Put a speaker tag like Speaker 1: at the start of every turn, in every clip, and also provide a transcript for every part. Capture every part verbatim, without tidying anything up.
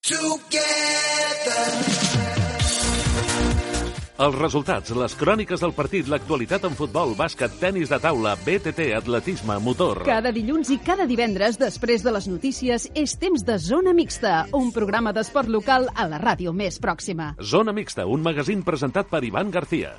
Speaker 1: Els resultats, les cròniques del partit, l'actualitat en futbol, bàsquet, tenis de taula, B T T, atletisme, motor.
Speaker 2: Cada dilluns i cada divendres, després de les notícies, és temps de Zona Mixta, un programa d'esport local a la ràdio més pròxima.
Speaker 1: Zona Mixta, un magazín presentat per Ivan García.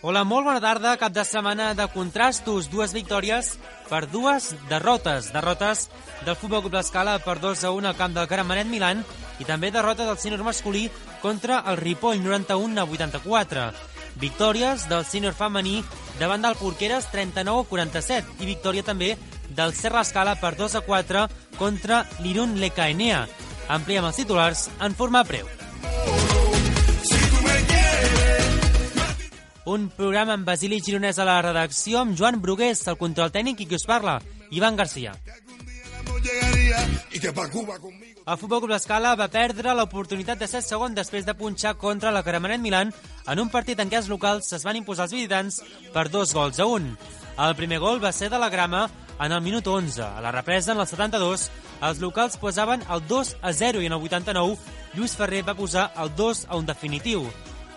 Speaker 3: Hola, molt bona tarda. Cap de setmana de contrastos. Dues victòries per dues derrotes. Derrotes del Futbol Club L'Escala per dos a un al camp del Gramenet Milan i també derrota del sènior masculí contra el Ripoll, noranta-un a vuitanta-quatre. Victòries del sènior femení davant del Porqueres, trenta-nou a quaranta-set. I victòria també del Serra Escala per dos a quatre contra l'Irun Lecaenea. Ampliem els titulars en forma breu. Un programa amb Basili Gironès a la redacció, amb Joan Brugués, el control tècnic, i qui us parla, Ivan García. El Futbol Club L'Escala va perdre l'oportunitat de ser segon després de punxar contra la Gramenet Milan en un partit en què els locals es van imposar els visitants per dos gols a un. El primer gol va ser de la Grama en el minut onze. A la represa, en el setanta-dos, els locals posaven el dos a zero i en el vuitanta-nou Lluís Ferrer va posar el dos a un definitiu.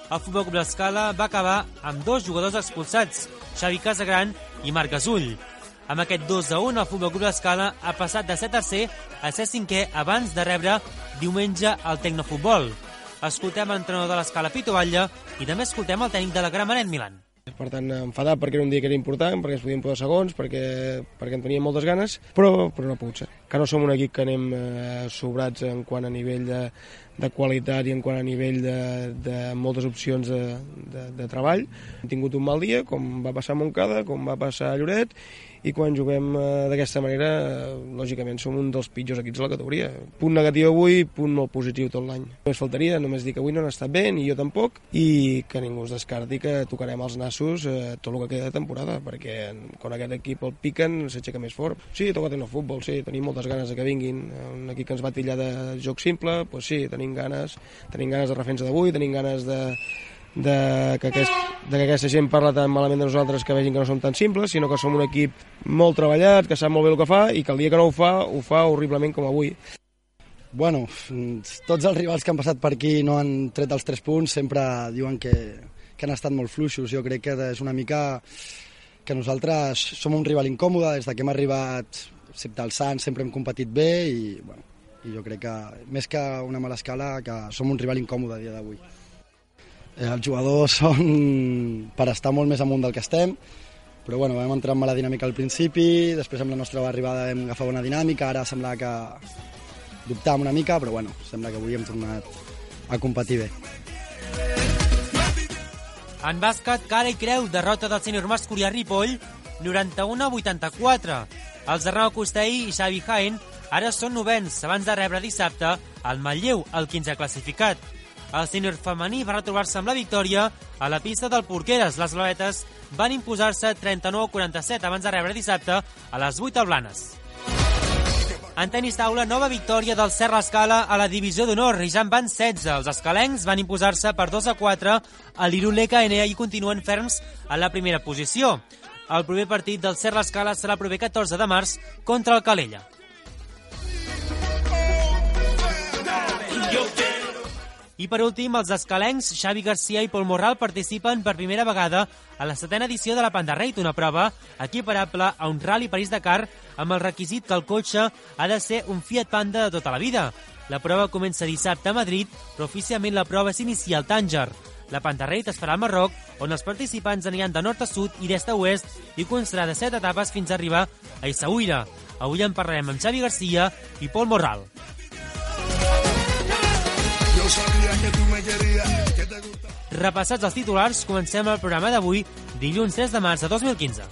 Speaker 3: El Futbol Club L'Escala va acabar amb dos jugadors expulsats, Xavi Casagran i Marc Gasull. Amb aquest dos a un, el Futbol Club L'Escala ha passat de ser tercer a ser cinquè abans de rebre diumenge el Tecnofutbol. Escoltem l'entrenador de l'Escala, Pito Batlle, i també escoltem el tècnic de la Gramenet Milan.
Speaker 4: Per tant, enfadat perquè era un dia que era important, perquè ens podíem posar segons, perquè, perquè en teníem moltes ganes, però, però no ha pogut ser. Que no som un equip que anem eh, sobrats en quant a nivell de, de qualitat i en quant a nivell de, de moltes opcions de, de, de treball. Hem tingut un mal dia, com va passar a Montcada, com va passar a Lloret, i quan juguem eh, d'aquesta manera, eh, lògicament som un dels pitjors equips de la categoria. Punt negatiu avui, punt molt positiu tot l'any. Només faltaria, només dir que avui no han estat bé, ni jo tampoc, i que ningú es descarti que tocarem els nassos eh, tot el que queda de temporada, perquè quan aquest equip el piquen s'aixeca més fort. Sí, toca tenir el futbol, sí, tenim moltes ganes de que vinguin. Un equip que ens va tillar de joc simple, doncs sí, tenim ganes, tenim ganes de defensa d'avui, tenim ganes de De que, aquest, de que aquesta gent parla tan malament de nosaltres que vegin que no som tan simples, sinó que som un equip molt treballat, que sap molt bé el que fa i que el dia que no ho fa, ho fa horriblement com avui.
Speaker 5: Bueno, tots els rivals que han passat per aquí no han tret els tres punts, sempre diuen que, que han estat molt fluixos. Jo crec que és una mica que nosaltres som un rival incòmode, des que hem arribat, excepte el Sant, sempre hem competit bé i, bueno, i jo crec que més que una mala escala, que som un rival incòmode a dia d'avui. Els jugadors són per estar molt més amunt del que estem, però bueno, vam entrar en mala dinàmica al principi, després amb la nostra arribada vam agafar bona dinàmica, ara sembla que dubtàvem una mica, però bueno, sembla que avui hem tornat a competir bé.
Speaker 3: En bàsquet, cara i creu, derrota del sènior masculí a Ripoll, noranta-un a vuitanta-quatre. Els de Ramon Costell i Xavi Jaén ara són novens, abans de rebre dissabte el Manlleu, el quinzè classificat. El sènior femení va retrobar-se amb la victòria a la pista del Porqueres. Les blauetes van imposar-se trenta-nou a quaranta-set abans de rebre dissabte a les vuit al Blanes. En tenis taula, nova victòria del Serra Escala a la divisió d'honor i ja en van setze. Els escalencs van imposar-se per dos a quatre a l'Irun Lecaenea i continuen ferms a la primera posició. El proper partit del Serra Escala serà el proper catorze de març contra el Calella. I per últim, els escalencs Xavi García i Pol Morral participen per primera vegada a la setena edició de la Panda Raid, una prova equiparable a un Rally París-Dakar amb el requisit que el cotxe ha de ser un Fiat Panda de tota la vida. La prova comença dissabte a Madrid, però oficialment la prova s'inicia al Tànger. La Panda Raid es farà al Marroc, on els participants aniran de nord a sud i d'est a oest i constarà de set etapes fins a arribar a Essaouira. Avui en parlarem amb Xavi García i Pol Morral. Repassats els titulars, comencem el programa d'avui, dilluns tres de març de dos mil quinze.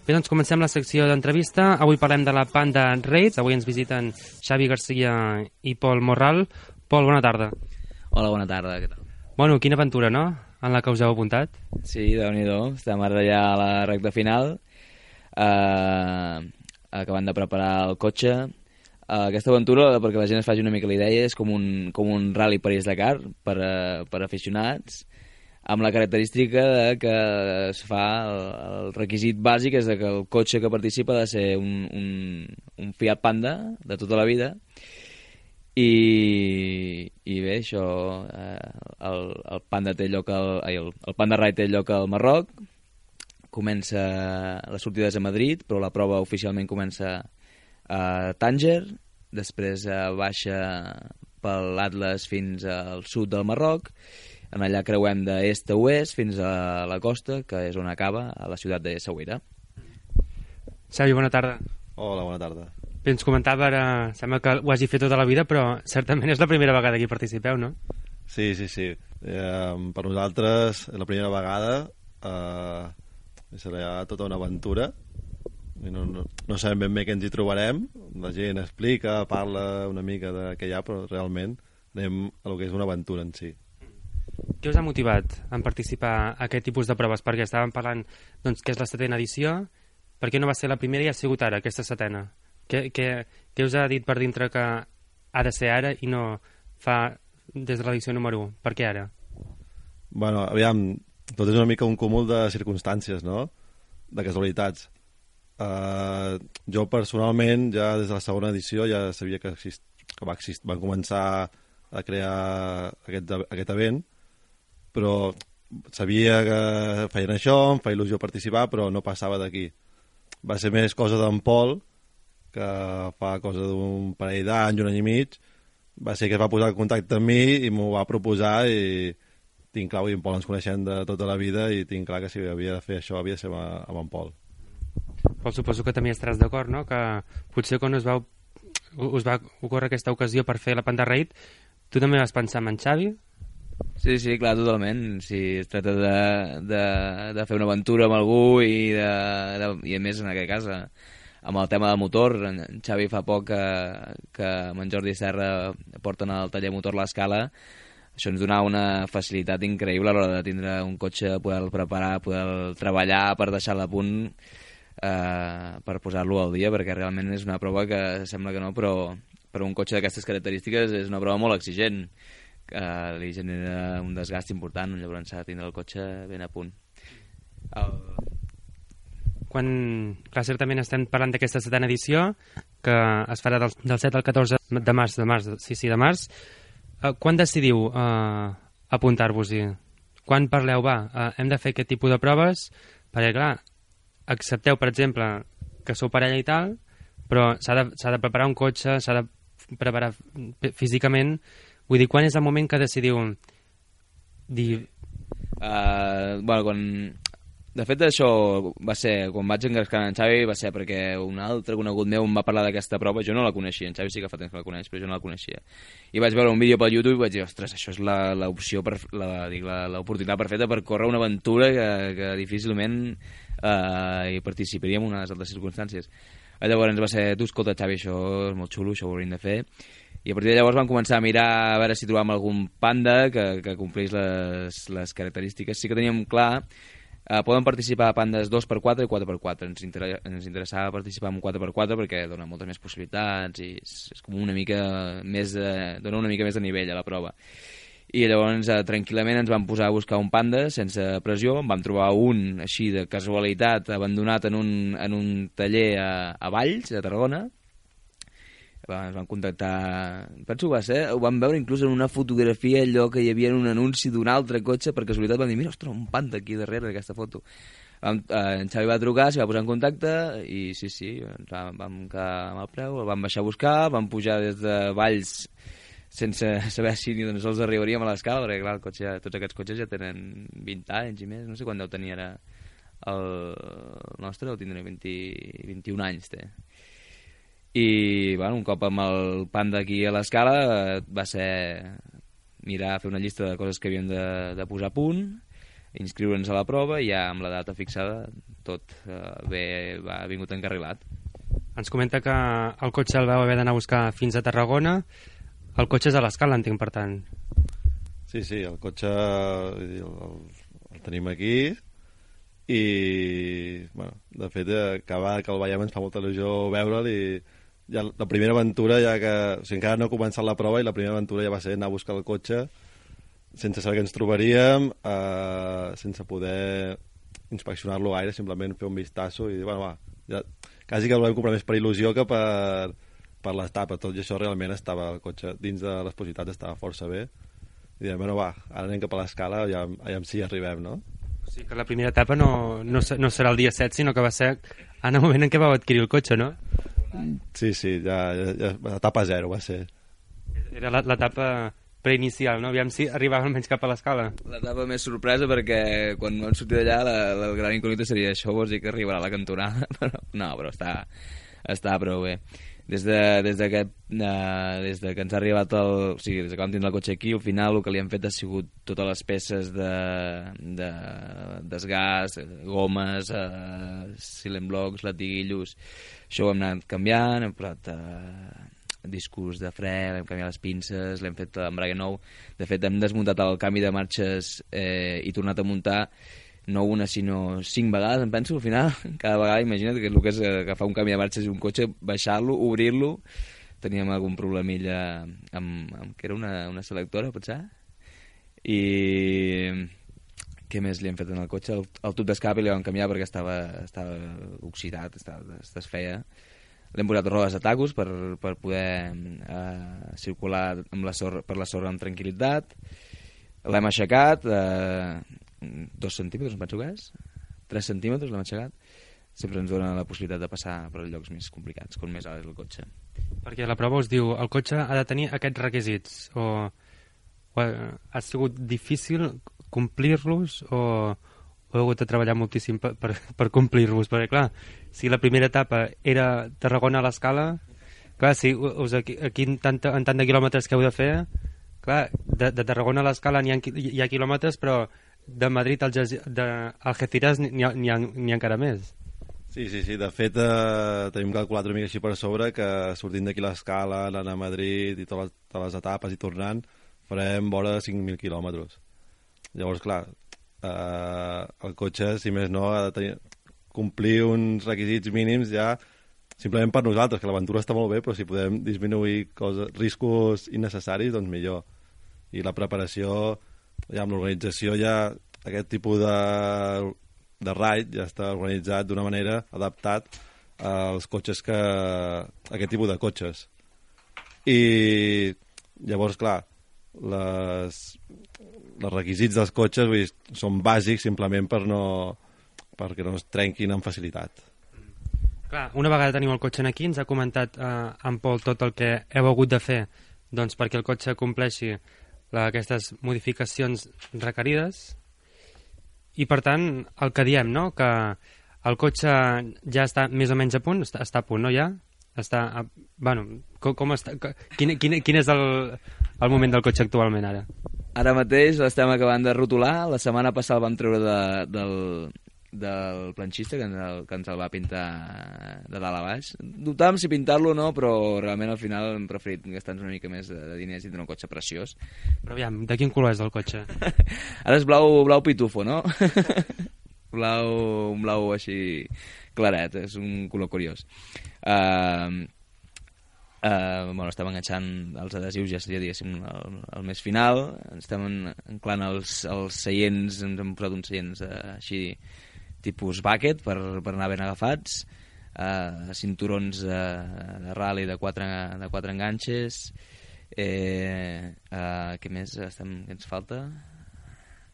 Speaker 6: Bé, doncs comencem la secció d'entrevista. Avui parlem de la Panda Raid. Avui ens visiten Xavi Garcia i Pol Morral. Pol, bona tarda.
Speaker 7: Hola, bona tarda, què tal?
Speaker 6: Bueno, quina aventura, no?, en la que us heu apuntat.
Speaker 7: Sí, déu-n'hi-do, estem ara ja a la recta final, eh, acabant de preparar el cotxe. Uh, aquesta aventura, perquè la gent es faci una mica la idea, és com un, com un Rally París-Dakar per, uh, per aficionats, amb la característica de que es fa el, el requisit bàsic és de que el cotxe que participa ha de ser un, un, un Fiat Panda de tota la vida. I, i bé, això, eh, el, el Panda té lloc al, ai, el, el Panda Ride té lloc al Marroc, comença les sortides a Madrid, però la prova oficialment comença a Tànger, després eh, baixa per l'Atlas fins al sud del Marroc, en allà creuem d'est a oest fins a la costa, que és on acaba, a la ciutat de Essaouira.
Speaker 6: Xavi, bona tarda.
Speaker 8: Hola, bona tarda.
Speaker 6: Bé, ens comentava ara, sembla que ho hagi fet tota la vida, però certament és la primera vegada que hi participeu, no?
Speaker 8: Sí, sí, sí. Eh, per nosaltres, és la primera vegada, eh, serà tota una aventura. No, no, no sabem ben bé què ens hi trobarem. La gent explica, parla una mica de què hi ha, però realment anem a lo que és una aventura en si.
Speaker 6: Què us ha motivat en participar a aquest tipus de proves? Perquè estàvem parlant doncs, que és la setena edició. Per què no va ser la primera i ha sigut ara, aquesta setena? Què, què, què us ha dit per dintre que ha de ser ara i no fa des de l'edició número u? Per què ara?
Speaker 8: Bueno, aviam, tot és una mica un cúmul de circumstàncies, no?, de casualitats. Uh, jo personalment ja des de la segona edició ja sabia que, exist, que va exist, van començar a crear aquest, aquest event, però sabia que feien això, em feia il·lusió participar, però no passava d'aquí. Va ser més cosa d'en Pol, que fa cosa d'un parell d'anys, un any i mig, va ser que es va posar en contacte amb mi i m'ho va proposar, i tinc clar, i en Pol ens coneixem de tota la vida i tinc clar que si havia de fer això havia de ser amb en Pol.
Speaker 6: Pol, suposo que també estaràs d'acord, no?, que potser quan us va, us va ocórrer aquesta ocasió per fer la Panda Raid, tu també vas pensar en Xavi?
Speaker 7: Sí, sí, clar, totalment. Si es tracta de, de, de fer una aventura amb algú i, de, de, i a més en aquest cas amb el tema del motor, en Xavi fa poc que, que amb en Jordi Serra porten al taller motor l'Escala. Això ens donava una facilitat increïble a l'hora de tindre un cotxe, poder-lo preparar, poder treballar per deixar-lo a punt, eh, per posar-lo al dia, perquè realment és una prova que sembla que no, però per un cotxe d'aquestes característiques és una prova molt exigent, que li genera un desgast important, llavors s'ha de tindre el cotxe ben a punt. El...
Speaker 6: Quan, clar, certament estem parlant d'aquesta setena edició, que es farà del, del set al catorze de març, de març, sí, sí, de març. Uh, quan decidiu uh, apuntar-vos-hi? Quan parleu, va, uh, hem de fer aquest tipus de proves? Perquè, clar, accepteu, per exemple, que sou parella i tal, però s'ha de, s'ha de preparar un cotxe, s'ha de preparar físicament. Vull dir, quan és el moment que decidiu dir...
Speaker 7: Uh, bueno, quan... De fet, això va ser, quan vaig engrescar en Xavi, va ser perquè un altre conegut meu em va parlar d'aquesta prova. Jo no la coneixia, en Xavi sí que fa temps que la coneix, però jo no la coneixia. I vaig veure un vídeo pel YouTube i vaig dir, ostres, això és l'opció, l'oportunitat perfecta per córrer una aventura que, que difícilment eh, hi participaria en unes altres circumstàncies. Llavors va ser, tu, escolta, Xavi, això és molt xulo, això ho hauríem de fer. I a partir de llavors vam començar a mirar a veure si trobàvem algun Panda que, que complís les, les característiques. Sí que teníem clar, eh, poden participar pandes dos per quatre i quatre per quatre. Ens, inter ens interessava participar amb quatre per quatre perquè dona moltes més possibilitats i és, és com una mica més de, dona una mica més de nivell a la prova. I llavors eh, tranquil·lament ens vam posar a buscar un Panda sense pressió, en vam trobar un així de casualitat abandonat en un, en un taller a, a Valls, a Tarragona. Ens van contactar, penso que va ser, ho vam veure inclús en una fotografia allò que hi havia en un anunci d'un altre cotxe, per casualitat vam dir, mira, ostres, un Panda aquí darrere d'aquesta foto. Vam, eh, en Xavi va trucar, s'hi va posar en contacte i sí, sí, ens vam, vam quedar amb el preu, el vam baixar a buscar, vam pujar des de Valls sense saber si ni tan sols arribaríem a l'escala, perquè clar, el cotxe, tots aquests cotxes ja tenen vint anys i més, no sé quan deu tenir ara el nostre, deu tindre vint, vint-i-un anys, té. I bueno, un cop amb el Panda aquí a l'escala va ser mirar, fer una llista de coses que havíem de, de posar a punt, inscriure'ns a la prova i ja amb la data fixada tot uh, bé, va vingut encarrilat.
Speaker 6: Ens comenta que el cotxe el vau haver d'anar a buscar fins a Tarragona. El cotxe és a l'escala, entenc, per tant.
Speaker 8: Sí, sí, el cotxe el, el, el tenim aquí i, bueno, de fet, cada vegada que el veiem ens fa molta il·lusió veure'l i ja la primera aventura, ja que, o sigui, encara no ha començat la prova i la primera aventura ja va ser anar a buscar el cotxe sense saber què ens trobaríem, eh, sense poder inspeccionar-lo gaire, simplement fer un vistazo i, bueno, va, ja, quasi que el volem comprar més per il·lusió que per, per l'etapa. Tot i això realment estava el cotxe dins de les possibilitats, estava força bé. I diem, bueno, va, ara anem cap a l'escala, ja, ja si hi arribem, no?
Speaker 6: O sigui que la primera etapa no, no, no serà el dia set, sinó que va ser en el moment en què vau adquirir el cotxe, no?
Speaker 8: Sí, sí, ja, ja, ja etapa zero va ser.
Speaker 6: Era l'etapa preinicial, no? Aviam si arribava almenys cap a l'escala.
Speaker 7: L'etapa més sorpresa perquè quan vam sortir d'allà la, la gran incògnita seria això, vols dir que arribarà a la cantonada? Però, no, però està, està prou bé. Des de, des, de que, uh, des de que ens ha arribat el... O sigui, des que vam tindre el cotxe aquí, al final el que li han fet ha sigut totes les peces de, de desgast, gomes, uh, silent blocks, latiguillos. Això ho hem anat canviant, hem posat uh, discos de fre, hem canviat les pinces, l'hem fet l'embrague nou. De fet, hem desmuntat el canvi de marxes eh, i tornat a muntar no una, sinó cinc vegades, em penso, al final. Cada vegada, imagina't que el que és agafar un canvi de marxes i un cotxe, baixar-lo, obrir-lo. Teníem algun problemilla amb, amb que era una, una selectora, potser. I què més li hem fet en el cotxe? El, el tub d'escape li vam canviar perquè estava, estava oxidat, estava, es desfeia. L'hem posat rodes de tacos per, per poder eh, circular amb la sorra, per la sorra amb tranquil·litat. L'hem aixecat... Eh, dos centímetres, em penso que és, tres centímetres l'hem aixecat, sempre ens dona la possibilitat de passar per llocs més complicats, com més alt és el cotxe.
Speaker 6: Perquè la prova us diu, el cotxe ha de tenir aquests requisits, o, o ha sigut difícil complir-los, o, o heu hagut de treballar moltíssim per, per, per complir-los, perquè clar, si la primera etapa era Tarragona a l'escala, clar, si us, aquí, aquí en, tant, en tant de quilòmetres que heu de fer, clar, de, de Tarragona a l'escala hi ha, hi ha quilòmetres, però de Madrid al Algeciras n'hi ha, ha, ha encara més.
Speaker 8: Sí, sí, sí. De fet, eh, tenim calculat una mica així per sobre que sortint d'aquí l'escala, anant a Madrid i totes les, totes les etapes i tornant, farem vora cinc mil quilòmetres. Llavors, clar, eh, el cotxe, si més no, ha de tenir, complir uns requisits mínims ja simplement per nosaltres, que l'aventura està molt bé, però si podem disminuir coses, riscos innecessaris, doncs millor. I la preparació... ja amb l'organització ja aquest tipus de, de raid ja està organitzat d'una manera adaptat als cotxes que a aquest tipus de cotxes i llavors clar les, els requisits dels cotxes vull dir, són bàsics simplement per no, perquè no es trenquin amb facilitat.
Speaker 6: Clar, una vegada tenim el cotxe aquí ens ha comentat eh, en Pol tot el que heu hagut de fer doncs, perquè el cotxe compleixi la, aquestes modificacions requerides i per tant el que diem, no? Que el cotxe ja està més o menys a punt, està, està a punt, no ja? Està, a, bueno, com, com està, quin, quin, quin és el, el moment del cotxe actualment ara?
Speaker 7: Ara mateix l'estem acabant de rotular, la setmana passada el vam treure de, del, del planxista que ens, el, que ens el va pintar de dalt a baix. Dubtàvem si pintar-lo o no, però realment al final hem preferit gastar-nos una mica més de, de diners i tenir un cotxe preciós.
Speaker 6: Però aviam, de quin color és el cotxe?
Speaker 7: Ara és blau, blau pitufo, no? blau, un blau així claret, és un color curiós. Uh, uh, bueno, estem enganxant els adhesius, ja seria diguéssim el, el més final, estem anclant els, els seients, ens hem posat uns seients uh, així tipus bucket per, per anar ben agafats, uh, cinturons uh, de rally de quatre, de quatre enganxes, eh, uh, què més estem, què ens falta?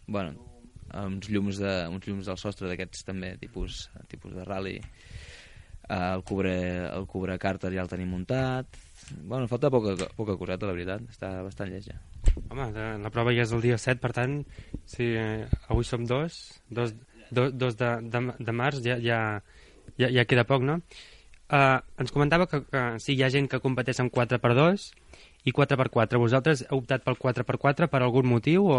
Speaker 7: Bueno, uns llums, de, uns llums del sostre d'aquests també tipus, tipus de rally, uh, el cubre, el cubre càrter ja el tenim muntat. Bueno, falta poca, poca coseta, la veritat, està bastant lleig ja.
Speaker 6: Home, la prova ja és el dia set, per tant, si eh, avui som dos, dos, dos, dos de, de, de març, ja, ja, ja, ja queda poc, no? Uh, ens comentava que, que sí, hi ha gent que competeix amb quatre per dos i quatre per quatre. Vosaltres heu optat pel quatre per quatre per algun motiu o...?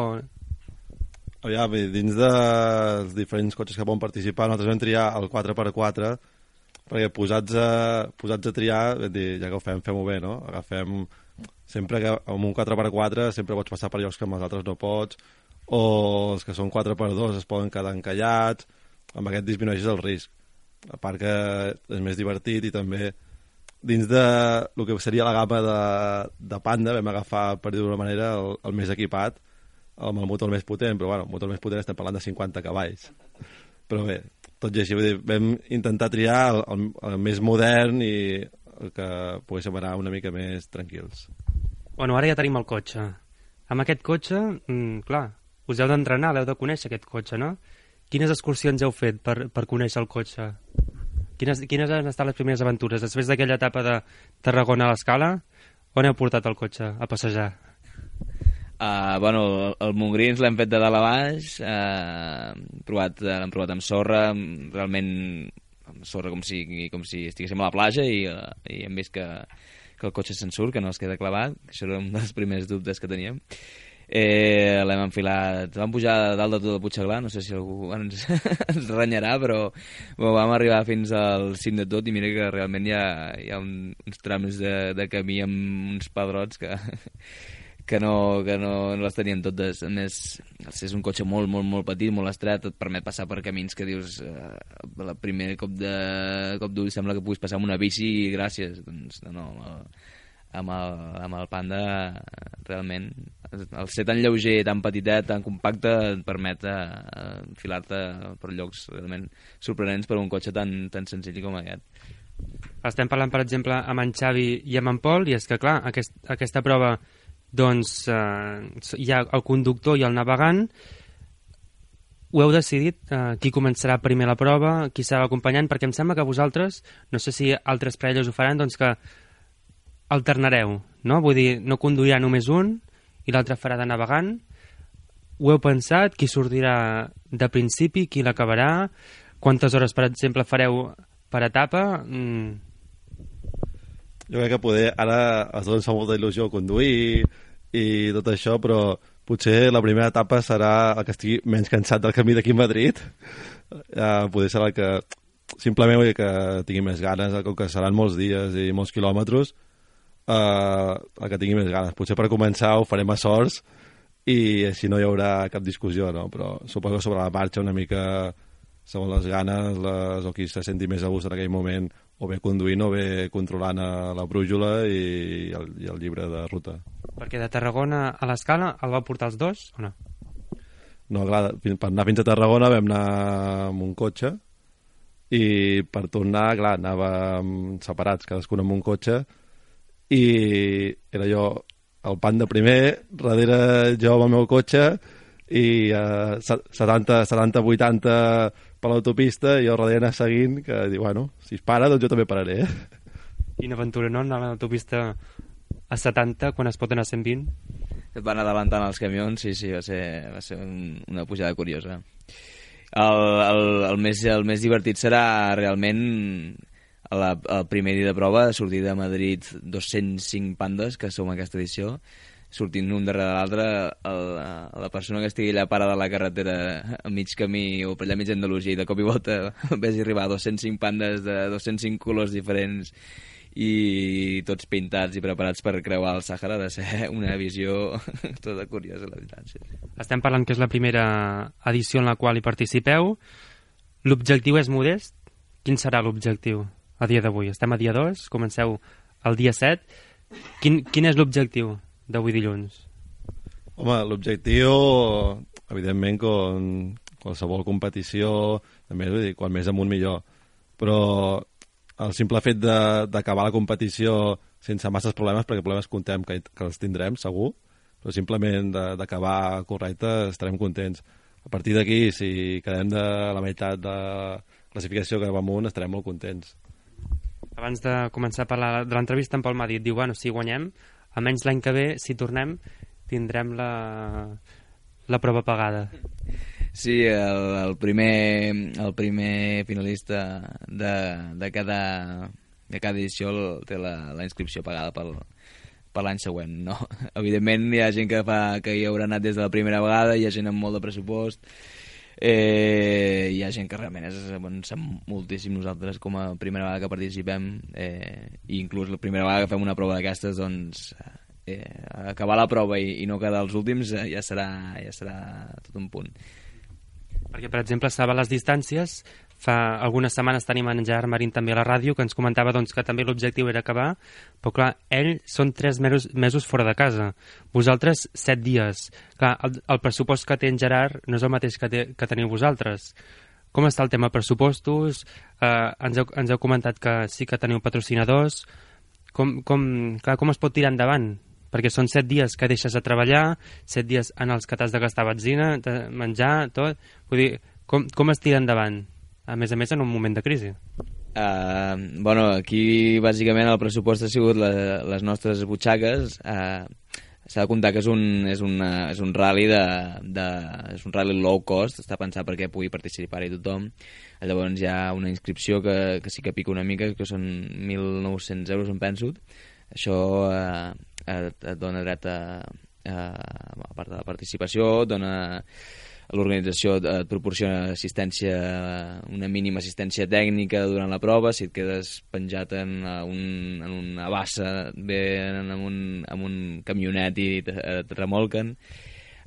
Speaker 8: Aviam, dins dels diferents cotxes que poden participar, nosaltres vam triar el quatre per quatre, perquè posats a, posats a triar, dir, ja que ho fem, fem-ho bé, no? Agafem, sempre que amb un quatre per quatre sempre pots passar per llocs que amb els altres no pots, o els que són quatre per dos es poden quedar encallats, amb aquest disminueixes el risc. A part que és més divertit i també dins de el que seria la gamma de, de Panda vam agafar, per dir d'una manera, el, el més equipat, amb el motor més potent, però bueno, el motor més potent estem parlant de cinquanta cavalls. Però bé, tot i així, vull dir, vam intentar triar el, el, el més modern i el que poguéssim anar una mica més tranquils.
Speaker 6: Bueno, ara ja tenim el cotxe. Amb aquest cotxe, mmm, clar, us heu d'entrenar, l'heu de conèixer aquest cotxe, no? Quines excursions heu fet per, per conèixer el cotxe? Quines, quines han estat les primeres aventures? Després d'aquella etapa de Tarragona a l'Escala, on heu portat el cotxe a passejar?
Speaker 7: Uh, bueno, el, el Montgrins l'hem fet de dalt a baix, uh, provat, l'hem provat amb sorra, realment amb sorra com si, com si estiguéssim a la platja i, uh, i hem vist que, que el cotxe se'n surt, que no es queda clavat, això era un dels primers dubtes que teníem. Eh, l'hem enfilat, vam pujar dalt de tot el Puigcerdà, no sé si algú ens, ens renyarà, però bueno, vam arribar fins al cim de tot i mira que realment hi ha, hi ha un, uns trams de, de camí amb uns pedrots que... que no, que no, no les teníem totes. A més, és un cotxe molt, molt, molt petit, molt estret, et permet passar per camins que dius eh, el primer cop de cop d'ull sembla que puguis passar amb una bici i gràcies. Doncs no, no, amb el, amb el Panda realment el ser tan lleuger, tan petitet, tan compacte et permet eh, enfilar-te per llocs realment sorprenents per un cotxe tan, tan senzill com aquest.
Speaker 6: Estem parlant, per exemple, amb en Xavi i amb en Pol, i és que, clar, aquest, aquesta prova doncs eh, hi ha el conductor i el navegant. Ho heu decidit? Eh, qui començarà primer la prova? Qui serà l'acompanyant? Perquè em sembla que vosaltres, no sé si altres parelles ho faran, doncs que alternareu, no? Vull dir, no conduirà només un i l'altre farà de navegant. Ho heu pensat? Qui sortirà de principi? Qui l'acabarà? Quantes hores, per exemple, fareu per etapa? Mm.
Speaker 8: Jo crec que poder, ara els dos ens fa molta il·lusió conduir i tot això, però potser la primera etapa serà el que estigui menys cansat del camí d'aquí a Madrid. Uh, poder serà el que simplement vull dir que tingui més ganes, com que seran molts dies i molts quilòmetres, uh, el que tingui més ganes. Potser per començar ho farem a sorts i així no hi haurà cap discussió, no? Però suposo que sobre la marxa una mica segons les ganes les, o qui se senti més a gust en aquell moment, o bé conduint o bé controlant la brújula i el, i el llibre de ruta.
Speaker 6: Perquè de Tarragona a l'Escala el va portar els dos o no?
Speaker 8: No, clar, per anar fins a Tarragona vam anar amb un cotxe i per tornar, clar, anàvem separats, cadascun amb un cotxe, i era jo el Panda primer, darrere jo amb el meu cotxe, i uh, setanta vuitanta per l'autopista i jo darrere anar seguint, que diu, bueno, si es para doncs jo també pararé.
Speaker 6: Quina aventura, no? Anar a l'autopista a setanta quan es pot anar a cent vint?
Speaker 7: Et van adelantant els camions, sí, sí, va ser, va ser un, una pujada curiosa. El, el, el, més, el més divertit serà realment la, el primer dia de prova, sortir de Madrid dos-cents cinc pandes, que som en aquesta edició, sortint un darrere l'altre, la persona que estigui allà parada a la carretera a mig camí o per allà mig Andalusia i de cop i volta vés arribar a dos-cents cinc pandes de dos-cents cinc colors diferents i tots pintats i preparats per creuar el Sàhara, de ser una visió tota curiosa, la veritat. Sí.
Speaker 6: Estem parlant que és la primera edició en la qual hi participeu. L'objectiu és modest. Quin serà l'objectiu a dia d'avui? Estem a dia dos, comenceu el dia set. Quin, quin és l'objectiu d'avui dilluns?
Speaker 8: Home, l'objectiu, evidentment, com qualsevol competició, també, vull dir, quan més amunt millor. Però el simple fet d'acabar la competició sense masses problemes, perquè problemes contem que, que els tindrem, segur, però simplement d'acabar correcte estarem contents. A partir d'aquí, si quedem de la meitat de la classificació que va amunt, estarem molt contents.
Speaker 6: Abans de començar a parlar de l'entrevista, en Pol m'ha dit, diu, bueno, si guanyem, almenys l'any que ve, si tornem, tindrem la, la prova pagada.
Speaker 7: Sí, el, el, primer, el primer finalista de, de, cada, de cada edició té la, la inscripció pagada pel, per l'any següent, no. Evidentment hi ha gent que, fa, que hi haurà anat des de la primera vegada, hi ha gent amb molt de pressupost, eh, hi ha gent que realment és, bueno, sap moltíssim nosaltres com a primera vegada que participem, eh, i inclús la primera vegada que fem una prova d'aquestes, doncs eh, acabar la prova i, i no quedar els últims eh, ja, serà, ja serà tot un punt.
Speaker 6: Perquè, per exemple, estava a les distàncies. Fa algunes setmanes tenim en Gerard Marín també a la ràdio, que ens comentava doncs, que també l'objectiu era acabar, però clar, ell són tres mesos, mesos fora de casa. Vosaltres, set dies. Clar, el, el pressupost que té en Gerard no és el mateix que, té, que teniu vosaltres. Com està el tema pressupostos? Eh, ens, heu, ens heu comentat que sí que teniu patrocinadors. Com, com, clar, com es pot tirar endavant? Perquè són set dies que deixes de treballar, set dies en els que t'has de gastar benzina, de menjar, tot. Vull dir, com, com es tira endavant? A més a més, en un moment de crisi.
Speaker 7: Uh, bueno, aquí bàsicament el pressupost ha sigut la, les nostres butxaques. Uh, s'ha de comptar que és un, és una, és un rally de, de, és un rally low cost, està pensat perquè pugui participar-hi tothom. Llavors hi ha una inscripció que, que sí que pica una mica, que són mil nou-cents euros, em penso. Això uh, et, et dona dret a, a, a part de la participació, et dona... L'organització et proporciona assistència, una mínima assistència tècnica durant la prova. Si et quedes penjat en, un, en una bassa, bé en un, en un camionet i et, et remolquen.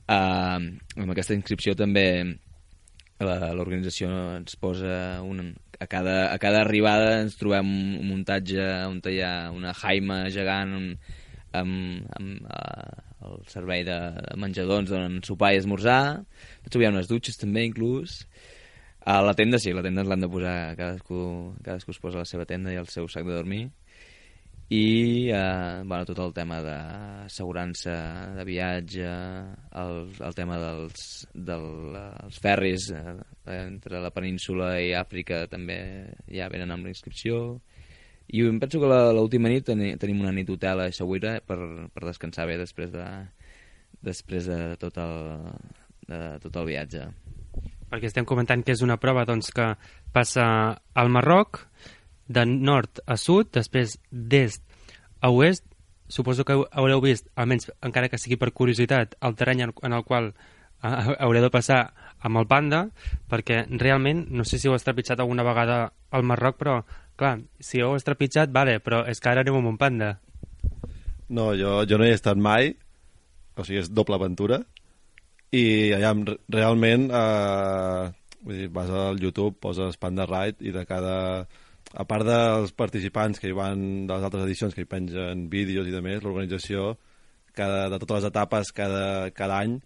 Speaker 7: Uh, amb aquesta inscripció també l'organització ens posa un, a, cada, a cada arribada ens trobem un muntatge on hi ha una jaima gegant amb, amb, amb uh, el servei de menjador, ens donen sopar i esmorzar. Hi ha unes dutxes també, inclús. A la tenda sí, la tenda ens l'han de posar, cadascú, cadascú es posa la seva tenda i el seu sac de dormir. I eh, bueno, tot el tema d'assegurança de viatge, el, el tema dels, dels ferris eh, entre la península i Àfrica també ja venen amb la inscripció. I em penso que l'última nit teni, tenim una nit d'hotel a Eixaüira per, per descansar bé després de, després de tot el, de tot el viatge.
Speaker 6: Perquè estem comentant que és una prova doncs, que passa al Marroc, de nord a sud, després d'est a oest. Suposo que haureu vist, almenys encara que sigui per curiositat, el terreny en el qual haureu de passar amb el panda, perquè realment, no sé si heu estrepitjat alguna vegada al Marroc, però clar, si heu estrepitjat, vale, però és que ara anem amb un panda.
Speaker 8: No, jo, jo no hi he estat mai, o sigui, és doble aventura, i allà realment eh, vull dir, vas al YouTube, poses Panda Ride i de cada... A part dels participants que hi van de les altres edicions que hi pengen vídeos i de més, l'organització cada, de totes les etapes cada, cada any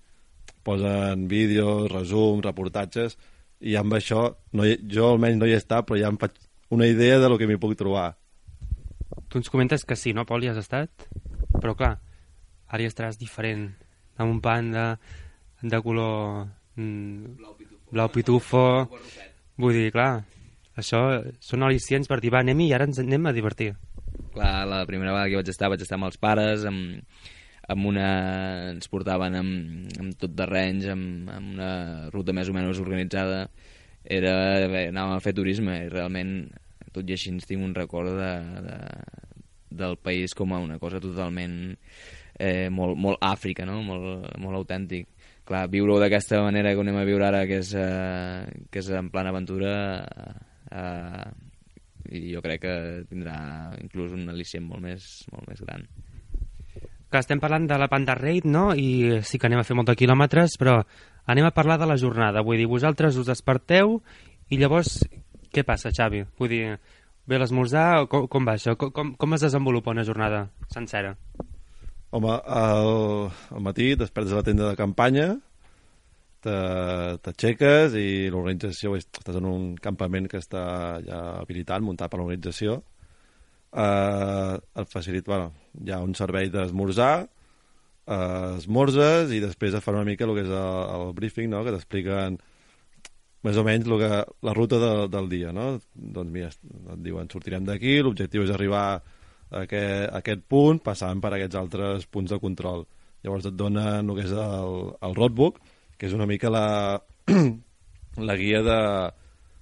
Speaker 8: posen vídeos, resums, reportatges, i amb això no hi, jo almenys no hi he estat, però ja em faig una idea de lo que m'hi puc trobar.
Speaker 6: Tu ens comentes que sí, no, Pol, hi has estat? Però clar, ara hi estaràs diferent, amb un panda de color mm, blau pitufo, blau pitufo. Vull dir, clar, això són al·licients per dir, va, anem-hi i ara ens anem a divertir.
Speaker 7: Clar, la primera vegada que vaig estar vaig estar amb els pares, amb, amb una... ens portaven amb, amb tot terrenys, amb, amb una ruta més o menys organitzada. Era, bé, anàvem a fer turisme i realment tot i així ens tinc un record de, de, del país com a una cosa totalment eh, molt, molt Àfrica, no? molt, molt autèntic. Clar, viure-ho d'aquesta manera que ho anem a viure ara, que és, eh, que és en plan aventura, eh, i jo crec que tindrà inclús un al·licient molt més, molt més gran.
Speaker 6: Que estem parlant de la Panda Raid, no? I sí que anem a fer molts quilòmetres, però anem a parlar de la jornada. Vull dir, vosaltres us desperteu i llavors què passa, Xavi? Vull dir, ve l'esmorzar, com, com va això? Com, com es desenvolupa una jornada sencera?
Speaker 8: Home, al, al matí despertes a la tenda de campanya, t'aixeques i l'organització, estàs en un campament que està ja habilitat, muntat per l'organització. Uh, et facilita, bueno, hi ha un servei d'esmorzar, uh, esmorzes i després et fan una mica el que és el, el briefing, no? Que t'expliquen més o menys lo que, la ruta de, del dia, no? Doncs mira, et diuen, sortirem d'aquí, l'objectiu és arribar a aquest, a aquest punt, passant per aquests altres punts de control. Llavors et donen el que és el, el roadbook, que és una mica la, la guia de,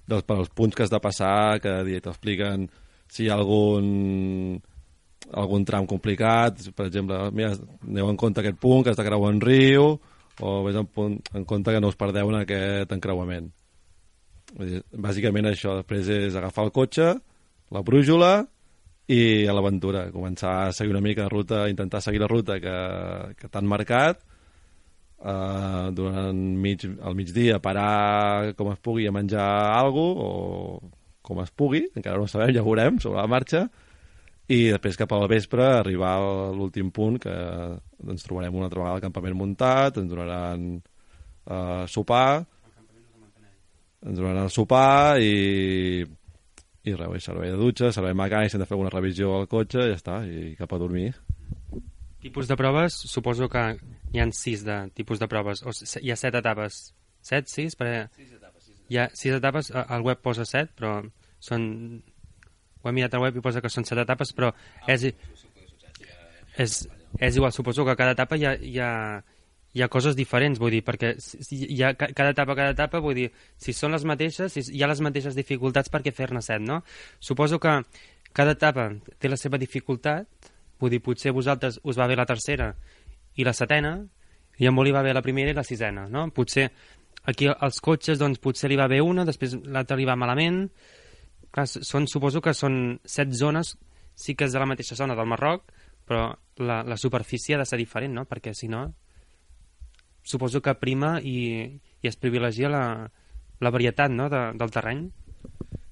Speaker 8: dels, per als punts que has de passar cada dia. T'expliquen si hi ha algun algun tram complicat, per exemple, mira, aneu en compte aquest punt que has de creuar un riu, o vés en, punt, en compte que no us perdeu en aquest encreuament. Vull dir, bàsicament això, després és agafar el cotxe, la brújula i a l'aventura, començar a seguir una mica la ruta, intentar seguir la ruta que, que t'han marcat, Uh, durant mig, al migdia parar com es pugui a menjar alguna cosa o com es pugui, encara no ho sabem, ja ho veurem sobre la marxa, i després cap al vespre arribar a l'últim punt que ens trobarem una altra vegada al campament muntat, ens donaran uh, sopar ens donaran el sopar i i res, servei de dutxa, servei mecànic, si hem de fer alguna revisió al cotxe, ja està, i cap a dormir.
Speaker 6: Tipus de proves, suposo que hi ha sis de tipus de proves, o hi ha set etapes. Set, sis? Perquè sis etapes. Sis etapes. Hi ha sis etapes, al web posa set, però són... Ho he mirat al web i posa que són set etapes, però és, és, és igual, suposo que a cada etapa hi ha, hi ha, hi ha coses diferents, vull dir, perquè hi ha cada etapa, cada etapa, vull dir, si són les mateixes, si hi ha les mateixes dificultats, per què fer-ne set, no? Suposo que cada etapa té la seva dificultat. Vull dir, potser a vosaltres us va bé la tercera i la setena, i a molt li va bé la primera i la sisena, no? Potser aquí als cotxes, doncs, potser li va bé una, després l'altra li va malament. Clar, són, suposo que són set zones, sí que és de la mateixa zona del Marroc, però la, la superfície ha de ser diferent, no? Perquè, si no, suposo que prima i, i es privilegia la, la varietat, no?, de, del terreny.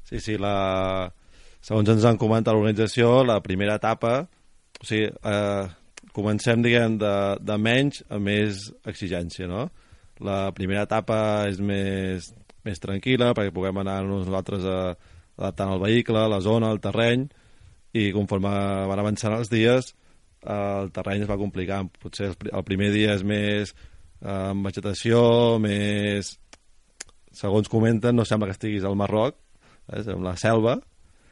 Speaker 8: Sí, sí, la... segons ens han comentat l'organització, la primera etapa... O sigui, eh, comencem, diguem, de, de menys a més exigència, no? La primera etapa és més, més tranquil·la perquè puguem anar nosaltres a, adaptant el vehicle, la zona, el terreny, i conforme van avançant els dies el terreny es va complicant. Potser el, el primer dia és més eh, amb vegetació, més... Segons comenten, no sembla que estiguis al Marroc, és en la selva.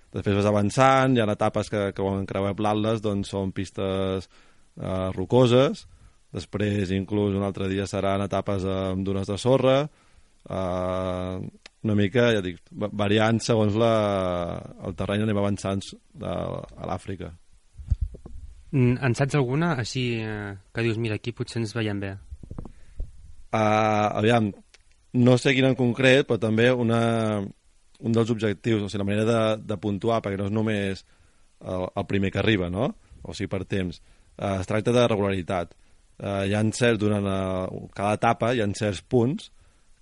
Speaker 8: Després vas avançant, hi ha etapes que, que quan creuem l'Atles doncs són pistes eh, rocoses, després inclús un altre dia seran etapes amb dunes de sorra, eh, una mica, ja dic, variant segons la, el terreny anem avançant de, a l'Àfrica.
Speaker 6: En saps alguna, així, eh, que dius, mira, aquí potser ens veiem bé?
Speaker 8: Uh, aviam, no sé quina en concret, però també una... un dels objectius, o sigui, la manera de, de puntuar, perquè no és només el, el primer que arriba, no? O sigui, per temps. Eh, es tracta de regularitat. Eh, hi ha certs, durant a, cada etapa, hi ha certs punts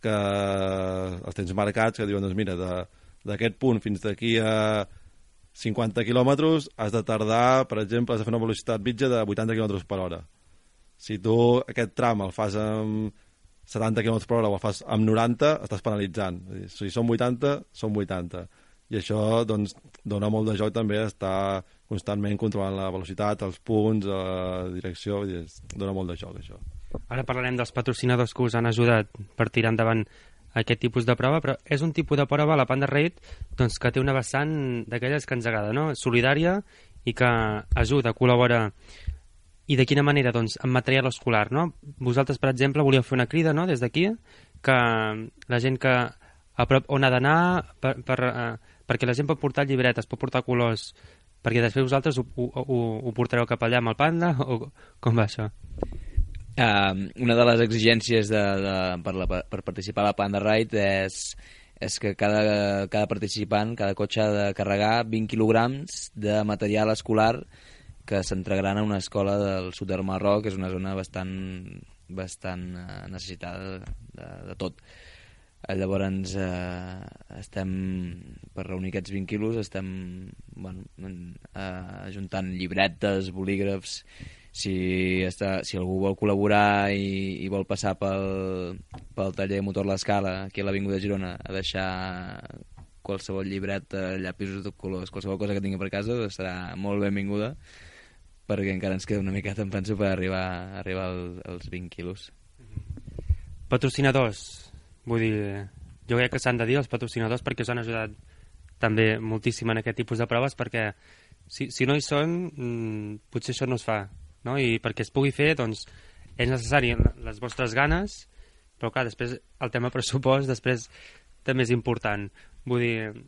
Speaker 8: que els tens marcats, que diuen, doncs mira, d'aquest punt fins d'aquí a cinquanta quilòmetres has de tardar, per exemple, has de fer una velocitat mitja de vuitanta quilòmetres per hora. Si tu aquest tram el fas amb setanta quilòmetres per hora o el fas amb noranta, estàs penalitzant. Si són vuitanta, són vuitanta. I això doncs, dona molt de joc també estar constantment controlant la velocitat, els punts, la direcció, i dona molt de joc això.
Speaker 6: Ara parlarem dels patrocinadors que us han ajudat per tirar endavant aquest tipus de prova, però és un tipus de prova, la Panda Raid, doncs, que té una vessant d'aquelles que ens agrada, no? Solidària i que ajuda, col·labora. I de quina manera? Doncs amb material escolar, no? Vosaltres, per exemple, volíeu fer una crida, no?, des d'aquí, que la gent que a prop on ha d'anar, per, per, uh, perquè la gent pot portar llibretes, pot portar colors, perquè després vosaltres ho, ho, ho, ho portareu cap allà amb el Panda, o com va això?
Speaker 7: Uh, una de les exigències de, de, per, la, per participar a la Panda Ride és, és que cada, cada participant, cada cotxe ha de carregar vint quilograms de material escolar que s'entregaran a una escola del sud del Marroc, que és una zona bastant, bastant eh, necessitada de, de, de tot. Llavors, eh, estem, per reunir aquests vint quilos, estem bueno, eh, ajuntant llibretes, bolígrafs. Si, està, si algú vol col·laborar i, i vol passar pel, pel taller de motor L'Escala, aquí a l'Avinguda de Girona, a deixar qualsevol llibreta, llapisos de colors, qualsevol cosa que tingui per casa, serà molt benvinguda, perquè encara ens queda una miqueta, em penso, per arribar, arribar al, als vint quilos.
Speaker 6: Patrocinadors, vull dir, jo crec que s'han de dir els patrocinadors perquè us han ajudat també moltíssim en aquest tipus de proves, perquè si, si no hi són, mmm, potser això no es fa, no? I perquè es pugui fer, doncs, és necessari les vostres ganes, però clar, després el tema pressupost després també és important. Vull dir,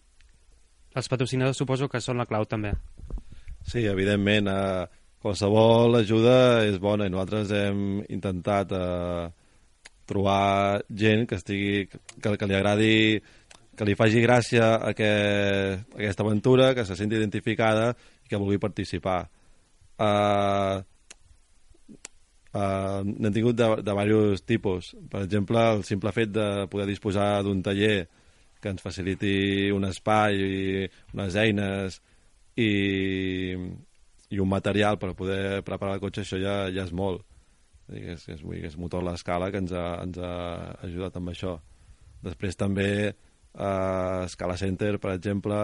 Speaker 6: els patrocinadors suposo que són la clau també.
Speaker 8: Sí, evidentment, eh, qualsevol ajuda és bona i nosaltres hem intentat eh, trobar gent que estigui que, que li agradi, que li faci gràcia a aquest, aquesta aventura, que se senti identificada i que vulgui participar. Uh, uh, n'hem tingut de, de diversos tipus. Per exemple, el simple fet de poder disposar d'un taller que ens faciliti un espai i unes eines i, i un material per poder preparar el cotxe, això ja, ja és molt. És, és, és motor l'escala que ens ha, ens ha ajudat amb això. Després també uh, Scala Center, per exemple,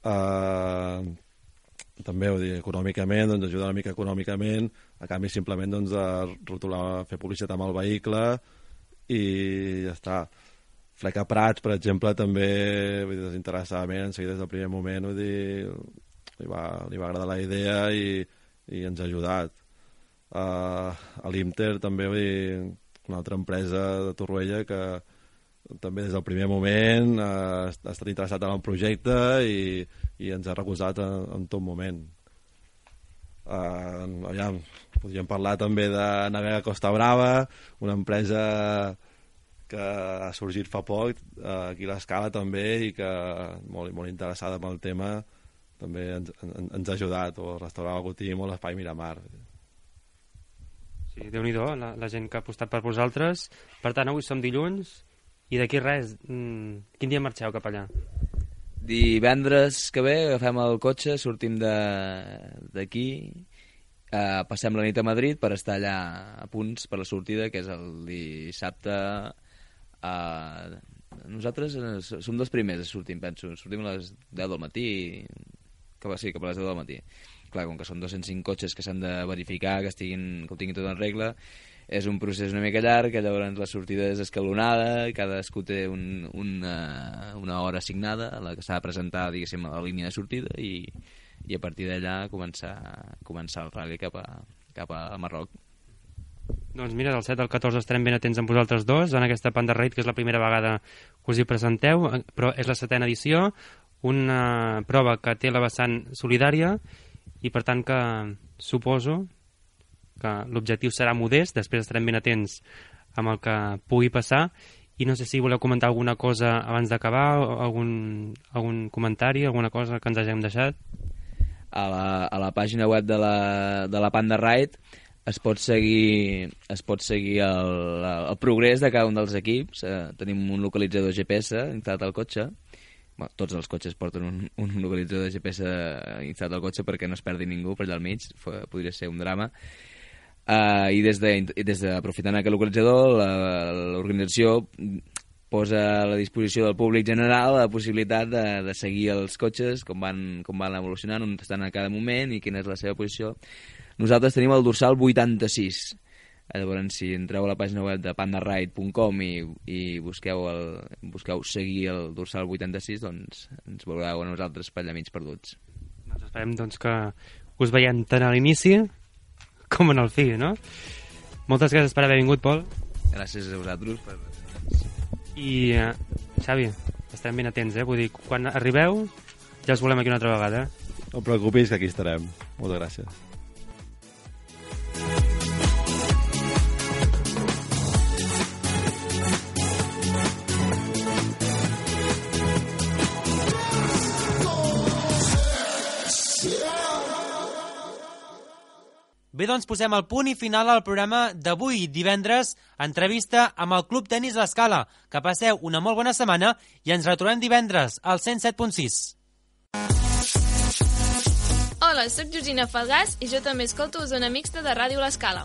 Speaker 8: uh, també ho dic, econòmicament, doncs ajuda una mica econòmicament, a canvi simplement doncs, de rotular, fer publicitat amb el vehicle i ja està. Fleca Prats, per exemple, també vull dir, desinteressadament, en seguida des del primer moment, vull dir, li va, li va agradar la idea i, i ens ha ajudat. Uh, a l'Inter també, vull dir, una altra empresa de Torroella que també des del primer moment uh, ha estat interessat en el projecte i, i ens ha recolzat en, en tot moment. Uh, aviam, podríem parlar també de Navega Costa Brava, una empresa que ha sorgit fa poc uh, aquí a l'Escala també i que molt, molt interessada en el tema també ens, en, ens ha ajudat, o el restaurant El Gotim o l'Espai Miramar.
Speaker 6: Sí, Déu-n'hi-do, la, la gent que ha apostat per vosaltres. Per tant, avui som dilluns i d'aquí res, mmm, quin dia marxeu cap allà?
Speaker 7: Divendres que ve agafem el cotxe, sortim d'aquí, eh, passem la nit a Madrid per estar allà a punts per la sortida, que és el dissabte. Eh, nosaltres som dels primers a sortir, penso. Sortim a les deu del matí, que sí, cap a les deu del matí. Clar, com que són dos-cents cinc cotxes que s'han de verificar, que, estiguin, que ho tinguin tot en regla, és un procés una mica llarg, que llavors la sortida és escalonada, cadascú té un, una, una hora assignada a la que s'ha de presentar, diguéssim, a la línia de sortida i, i a partir d'allà començar, començar el rally cap a, cap a Marroc.
Speaker 6: Doncs mira, del set al catorze estarem ben atents amb vosaltres dos en aquesta Panda Raid, que és la primera vegada que us hi presenteu, però és la setena edició, una prova que té la vessant solidària i per tant que suposo que l'objectiu serà modest, després estarem ben atents amb el que pugui passar i no sé si voleu comentar alguna cosa abans d'acabar, algun, algun comentari, alguna cosa que ens hàgim deixat.
Speaker 7: A la, a la pàgina web de la, de la Panda Ride es pot seguir, es pot seguir el, el progrés de cada un dels equips. Eh, tenim un localitzador G P S instal·lat al cotxe. Bueno, tots els cotxes porten un, un localitzador de G P S instal·lat al cotxe perquè no es perdi ningú per allà al mig, podria ser un drama. Uh, i des de, des de aprofitant aquest localitzador, l'organització posa a la disposició del públic general la possibilitat de, de seguir els cotxes, com van, com van evolucionant, on estan a cada moment i quina és la seva posició. Nosaltres tenim el dorsal vuitanta-sis. Llavors, si entreu a la pàgina web de pandaride punt com i, i busqueu, el, busqueu seguir el dorsal vuitanta-sis, doncs ens veureu a nosaltres per allà mig perduts.
Speaker 6: Doncs esperem doncs, que us veiem tant a l'inici com en el fi, no? Moltes gràcies per haver vingut, Pol.
Speaker 7: Gràcies a vosaltres. Per...
Speaker 6: I, uh, Xavi, estarem ben atents, eh? Vull dir, quan arribeu ja us volem aquí una altra vegada.
Speaker 8: No et preocupis, que aquí estarem. Moltes gràcies.
Speaker 3: Bé, doncs posem el punt i final al programa d'avui, divendres, entrevista amb el Club Tenis L'Escala. Que passeu una molt bona setmana i ens retrobem divendres al cent set punt sis.
Speaker 9: Hola, sóc Georgina Falgàs i jo també escolto Zona Mixta de Ràdio L'Escala.